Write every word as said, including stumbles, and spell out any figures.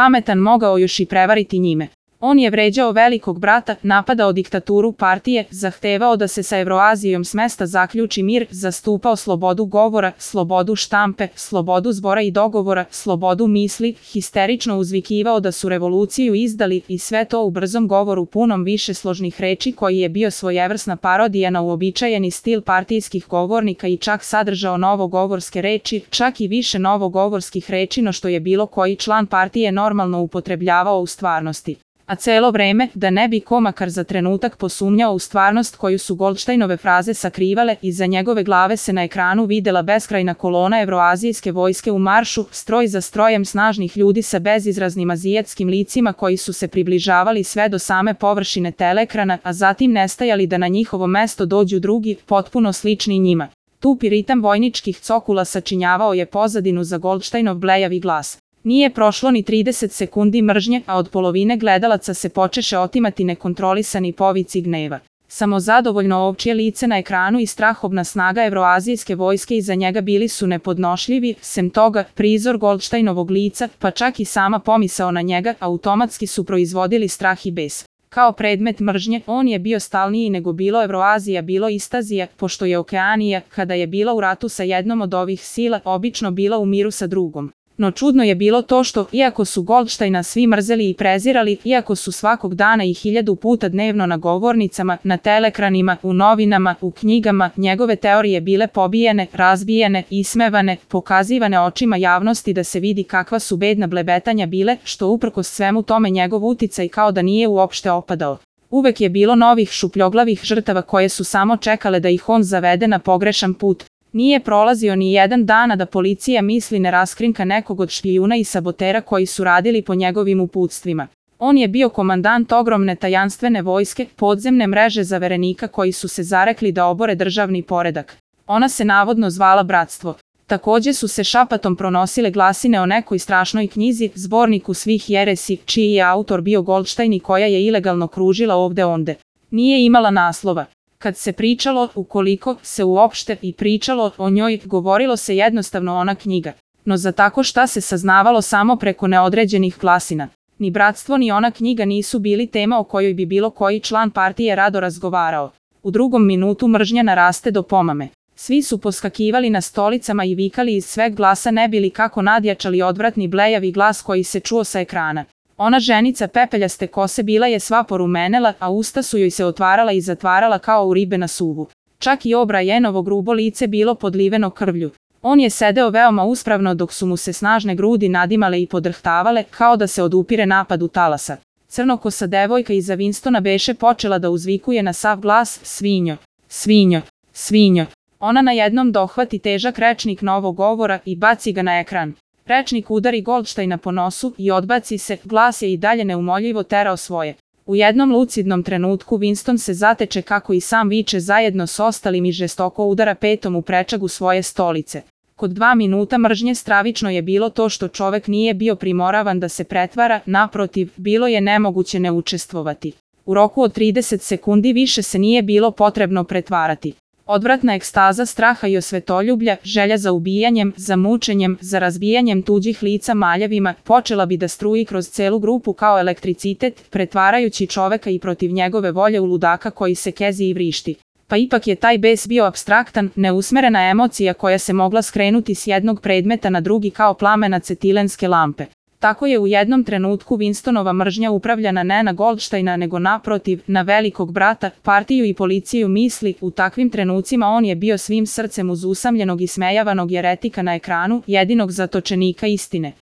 pametan mogao još i prevariti njime. On je vređao velikog brata, napadao diktaturu partije, zahtevao da se sa Evroazijom s mesta zaključi mir, zastupao slobodu govora, slobodu štampe, slobodu zbora i dogovora, slobodu misli, histerično uzvikivao da su revoluciju izdali i sve to u brzom govoru punom višesložnih reči koji je bio svojevrsna parodija na uobičajeni stil partijskih govornika i čak sadržao novogovorske reči, čak i više novogovorskih reči no što je bilo koji član partije normalno upotrebljavao u stvarnosti. A celo vreme, da ne bi ko makar za trenutak posumnjao u stvarnost koju su Goldsteinove fraze sakrivale, iza njegove glave se na ekranu videla beskrajna kolona evroazijske vojske u maršu, stroj za strojem snažnih ljudi sa bezizraznim azijatskim licima koji su se približavali sve do same površine teleekrana, a zatim nestajali da na njihovo mesto dođu drugi, potpuno slični njima. Tupi ritam vojničkih cokula sačinjavao je pozadinu za Goldsteinov blejavi glas. Nije prošlo ni trideset sekundi mržnje, a od polovine gledalaca se počeše otimati nekontrolisani povici gneva. Samozadovoljno ovčje lice na ekranu i strahobna snaga evroazijske vojske iza njega bili su nepodnošljivi, sem toga, prizor Goldsteinovog lica, pa čak i sama pomisao na njega, automatski su proizvodili strah i bes. Kao predmet mržnje, on je bio stalniji nego bilo Evroazija, bilo Istazija, pošto je Okeanija, kada je bila u ratu sa jednom od ovih sila, obično bila u miru sa drugom. No čudno je bilo to što, iako su Goldsteina svi mrzeli i prezirali, iako su svakog dana i hiljadu puta dnevno na govornicama, na teleekranima, u novinama, u knjigama, njegove teorije bile pobijene, razbijene, ismevane, pokazivane očima javnosti da se vidi kakva su bedna blebetanja bile, što uprkos svemu tome njegov uticaj kao da nije uopšte opadao. Uvek je bilo novih šupljoglavih žrtava koje su samo čekale da ih on zavede na pogrešan put. Nije prolazio ni jedan dan da policija misli ne raskrinka nekog od špijuna i sabotera koji su radili po njegovim uputstvima. On je bio komandant ogromne tajanstvene vojske, podzemne mreže zaverenika koji su se zarekli da obore državni poredak. Ona se navodno zvala Bratstvo. Takođe su se šapatom pronosile glasine o nekoj strašnoj knjizi, zborniku svih jeresi, čiji je autor bio Goldstein i koja je ilegalno kružila ovde onde. Nije imala naslova. Kad se pričalo, ukoliko se uopšte i pričalo o njoj, govorilo se jednostavno ona knjiga. No za tako šta se saznavalo samo preko neodređenih glasina. Ni Bratstvo ni ona knjiga nisu bili tema o kojoj bi bilo koji član partije rado razgovarao. U drugom minutu mržnja naraste do pomame. Svi su poskakivali na stolicama i vikali iz sveg glasa ne bili kako nadjačali odvratni blejavi glas koji se čuo sa ekrana. Ona ženica pepeljaste kose bila je sva porumenela, a usta su joj se otvarala i zatvarala kao u ribe na suvu. Čak i O'Brienovo grubo lice bilo podliveno krvlju. On je sedeo veoma uspravno dok su mu se snažne grudi nadimale i podrhtavale, kao da se odupire napadu talasa. Crnokosa devojka iza Winstona beše počela da uzvikuje na sav glas, svinjo, svinjo, svinjo. Ona na jednom dohvati težak rečnik novog govora i baci ga na ekran. Rečnik udari Goldsteina po nosu i odbaci se, glas je i dalje neumoljivo terao svoje. U jednom lucidnom trenutku Winston se zateče kako i sam viče zajedno s ostalim i žestoko udara petom u prečagu svoje stolice. Kod dva minuta mržnje stravično je bilo to što čovek nije bio primoravan da se pretvara, naprotiv, bilo je nemoguće ne učestvovati. U roku od trideset sekundi više se nije bilo potrebno pretvarati. Odvratna ekstaza straha i osvetoljublja, želja za ubijanjem, za mučenjem, za razbijanjem tuđih lica maljevima, počela bi da struji kroz celu grupu kao elektricitet, pretvarajući čoveka i protiv njegove volje u ludaka koji se kezi i vrišti. Pa ipak je taj bes bio apstraktan, neusmerena emocija koja se mogla skrenuti s jednog predmeta na drugi kao plamen acetilenske lampe. Tako je u jednom trenutku Winstonova mržnja upravljana ne na Goldsteina nego naprotiv, na velikog brata, partiju i policiju misli, u takvim trenucima on je bio svim srcem uz usamljenog i smejavanog jeretika na ekranu, jedinog zatočenika istine.